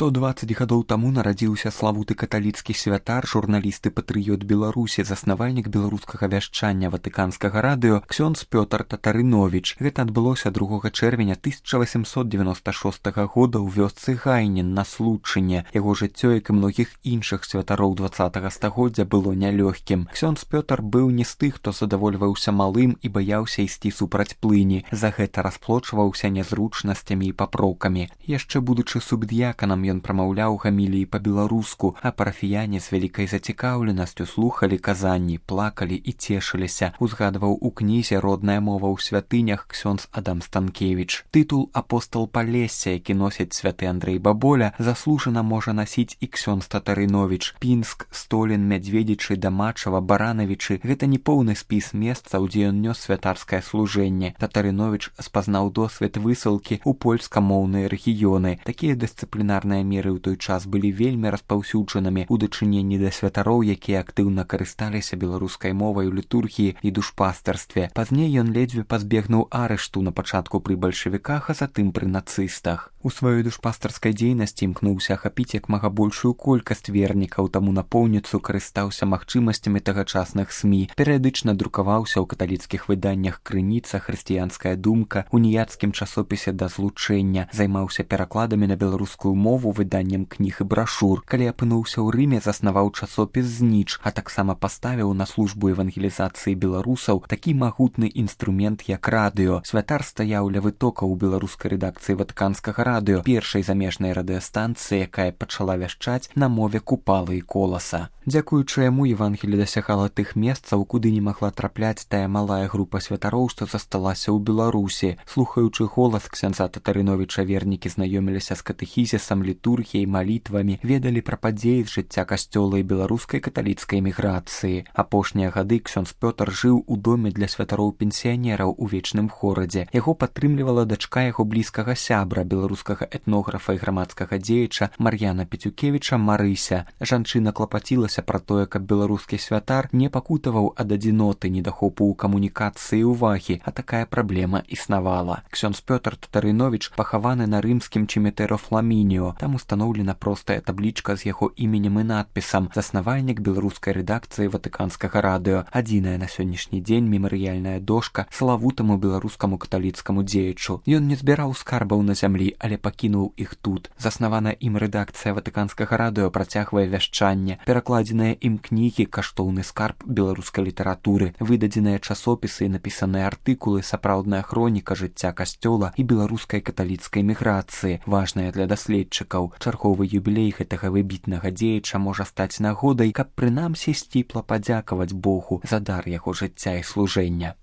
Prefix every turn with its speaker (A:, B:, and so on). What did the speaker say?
A: 120 гадоў таму нарадзіўся славуты каталіцкі святар, журналіст і патрыёт Беларусі, заснавальнік беларускага вяшчання ватыканскага радыё ксёндз Пётр Татарыновіч. Гэта адбылося 2 чэрвеня 1896 года ў вёсцы Гайнін на Случыне. Яго жыццё, як і многіх іншых святароў 20 стагоддзя, было нялёгкім. Ксёндз Пётр быў не з тых, хто задавольваўся малым і баяўся ісці супраць плыні. За гэта расплочваўся нязручнасцямі і папроўкамі. Яшчэ будучы субдыяканам, ён прамаўляў гаміліі па-беларуску, а парафіяне з вялікай зацікаўленасцю слухалі казанні, плакалі і цешыліся, узгадваў у кнізе «Родная мова ў святынях» ксёндз Адам Станкевіч. Тытул «Апостол Палесся», які носіць святы Андрэй Баболя, заслужана можа насіць і ксёндз Татарыновіч. Пінск, Столін, Мядзведзічы, Дамачава, Баранавічы – гэта не поўны спіс месцаў, дзе ён нёс святарскае служэнне. Татарыновіч спазнаў досвед высылкі ў польскамоўныя рэгіёны. Такія дысцыплінарныя меры ў той час былі вельмі распаўсюджанымі ў дачыненні да святароў, якія актыўна карысталіся беларускай мовай у літургіі і душпастарстве. Пазней ён ледзьве пазбегнуў арышту на пачатку пры бальшавіках, а затым пры нацыстах. У сваёй душпастарскай дзейнасці імкнуўся ахапіць як мага большую колькасць вернікаў, таму напоўніцу карыстаўся магчымасцямі тагачасных СМІ. Перыядычна друкаваўся ў каталіцкіх выданнях «Крыніца», «Хрысціянская думка», уніяцкім часопісе «Да злучэння», займаўся перакладамі на беларускую мову, выданнем кніг і брашур. Калі апынуўся ў Рыме, заснаваў часопіс «Зніч», а таксама паставіў на службу евангелізацыі беларусаў такі магутны інструмент, як радыё. Святар стаяў ля вытокаў у беларускай рэдакцыі ватыканскага радыё, першай замежнай радыёстанцыі, якая пачала вяшчаць на мове Купалы і Коласа. Дзякуючы яму Евангелі дасягала тых месцаў, куды не магла трапляць тая малая група святароў, што засталася ў Беларусі. Слухаючы голас ксяндза Татарыновіча, вернікі знаёміліся з катэхізісам, літургіяй, малітвамі, ведалі пра падзеі з жыцця касцёла і беларускай каталіцкай эміграцыі. Апошнія гады ксёндз Пётр жыў у доме для святароў-пенсіянераў у Вечным горадзе. Яго падтрымлівала дачка яго блізкага сябра, беларускага этнографа і грамадскага дзеяча Мар'яна Пецюкевіча Марыся. Жанчына клапацілася пра тое, каб беларускі святар не пакутаваў ад адзіноты, недахопу ў камунікацыі і ўвагі, а такая праблема існавала. Ксёндз Пётр Татарыновіч пахаваны на рымскім Чимітэро Фламініо. Там устаноўлена простая таблічка з яго іменем і надпісам «Заснавальнік беларускай рэдакцыі ватыканскага радыё». Адзіная на сённяшні дзень мемарыяльная дошка славутаму беларускаму каталіцкаму дзеячу. Ён не збіраў скарбаў на зямлі, але пакінуў іх тут. Заснаваная ім рэдакцыя ватыканскага радыё працягвае вяшчанне. Перакладзеныя ім кнігі, каштоўны скарб беларускай літаратуры, выдадзеныя часопісы і напісаныя артыкулы, сапраўдная хроніка жыцця касцёла і беларускай каталіцкай міграцыі, важная для даследчыкаў. Чарговы юбілей гэтага выбітнага дзеяча можа стаць нагодай, каб прынамсі сціпла падзякаваць Богу за дар яго жыцця і служэння.